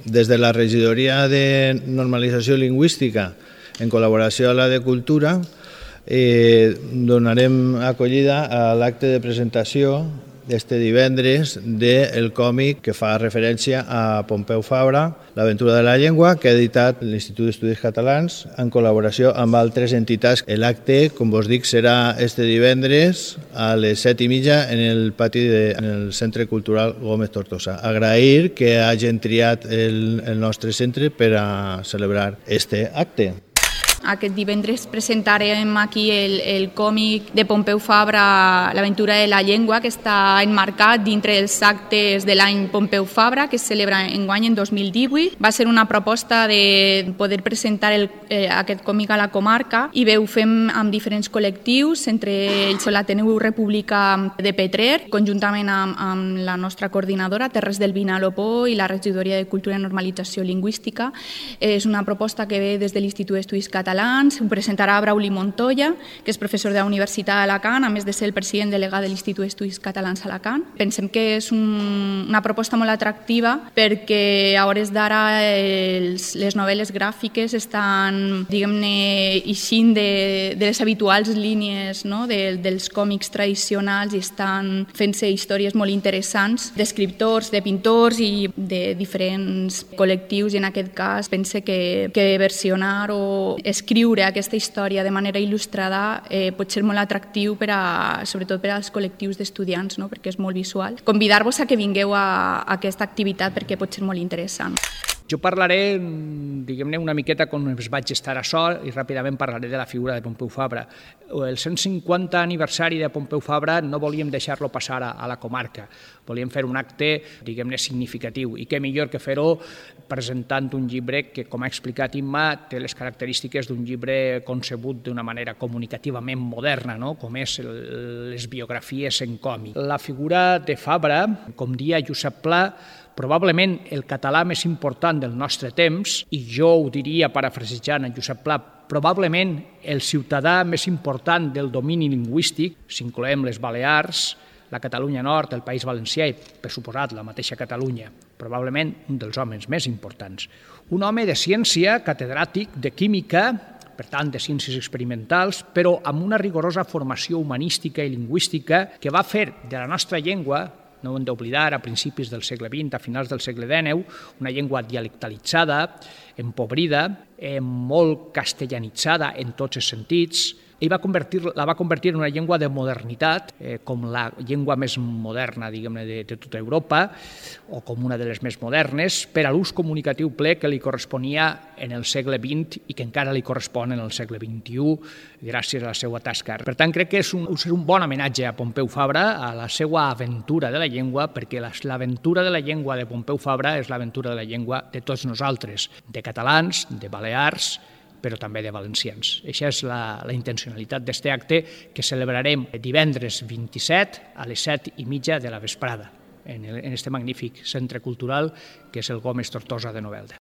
Des de la Regidoria de Normalització Lingüística, en col·laboració amb la de Cultura, donarem acollida a l'acte de presentació este divendres del còmic que fa referència a Pompeu Fabra, L'aventura de la llengua, que ha editat l'Institut d'Estudis Catalans en col·laboració amb altres entitats. L'acte, com vos dic, serà este divendres a les 7:30 en el pati del Centre Cultural Gómez Tortosa. Agrair que hagin triat el nostre centre per a celebrar este acte. Aquest divendres presentarem aquí el còmic de Pompeu Fabra, L'aventura de la llengua, que està enmarcat dintre dels actes de l'any Pompeu Fabra, que es celebra enguany en 2018. Va ser una proposta de poder presentar aquest còmic a la comarca i ho fem amb diferents col·lectius, entre ells l'Ateneu República de Petrer, conjuntament amb la nostra coordinadora, Terres del Vinalopó, i la Regidoria de Cultura i Normalització Lingüística. És una proposta que ve des de l'Institut d'Estudis Catalans. Ho presentarà Brauli Montoya, que és professor de la Universitat d'Alacant, a més de ser el president delegat de l'Institut d'Estudis Catalans a Alacant. Pensem que és una proposta molt atractiva perquè a hores d'ara les novel·les gràfiques estan, diguem-ne, eixint de les habituals línies, no?, dels còmics tradicionals, i estan fent-se històries molt interessants d'escriptors, de pintors i de diferents col·lectius, i en aquest cas pense que versionar o escriure aquesta història de manera il·lustrada pot ser molt atractiu sobretot per als col·lectius d'estudiants, no?, perquè és molt visual. Convidar-vos a que vingueu a aquesta activitat perquè pot ser molt interessant. Jo parlaré, diguem-ne, una miqueta com es vaig estar a sol, i ràpidament parlaré de la figura de Pompeu Fabra. El 150 aniversari de Pompeu Fabra no volíem deixar-lo passar a la comarca. Volíem fer un acte, diguem-ne, significatiu, i què millor que fer-ho presentant un llibre que, com ha explicat Imma, té les característiques d'un llibre concebut d'una manera comunicativament moderna, no?, com és les biografies en còmic. La figura de Fabra, com dia Josep Pla, probablement el català més important del nostre temps, i jo ho diria parafrasejant en Josep Pla, probablement el ciutadà més important del domini lingüístic, si incloem les Balears, la Catalunya Nord, el País Valencià i, per suposat, la mateixa Catalunya, probablement un dels homes més importants. Un home de ciència, catedràtic de química, per tant, de ciències experimentals, però amb una rigorosa formació humanística i lingüística que va fer de la nostra llengua, no ho hem d'oblidar, a principis del segle XX, a finals del segle XIX, una llengua dialectalitzada, empobrida, molt castellanitzada en tots els sentits, i la va convertir en una llengua de modernitat, com la llengua més moderna, diguem-ne, de tota Europa, o com una de les més modernes, per a l'ús comunicatiu ple que li corresponia en el segle XX i que encara li correspon en el segle XXI, gràcies a la seva tasca. Per tant, crec que és un bon homenatge a Pompeu Fabra, a la seva aventura de la llengua, perquè l'aventura de la llengua de Pompeu Fabra és l'aventura de la llengua de tots nosaltres, de catalans, de balears, però també de valencians. Això és la intencionalitat d'aquest acte que celebrarem divendres 27 a les 7:30 de la vesprada en aquest magnífic centre cultural que és el Gómez Tortosa de Novelda.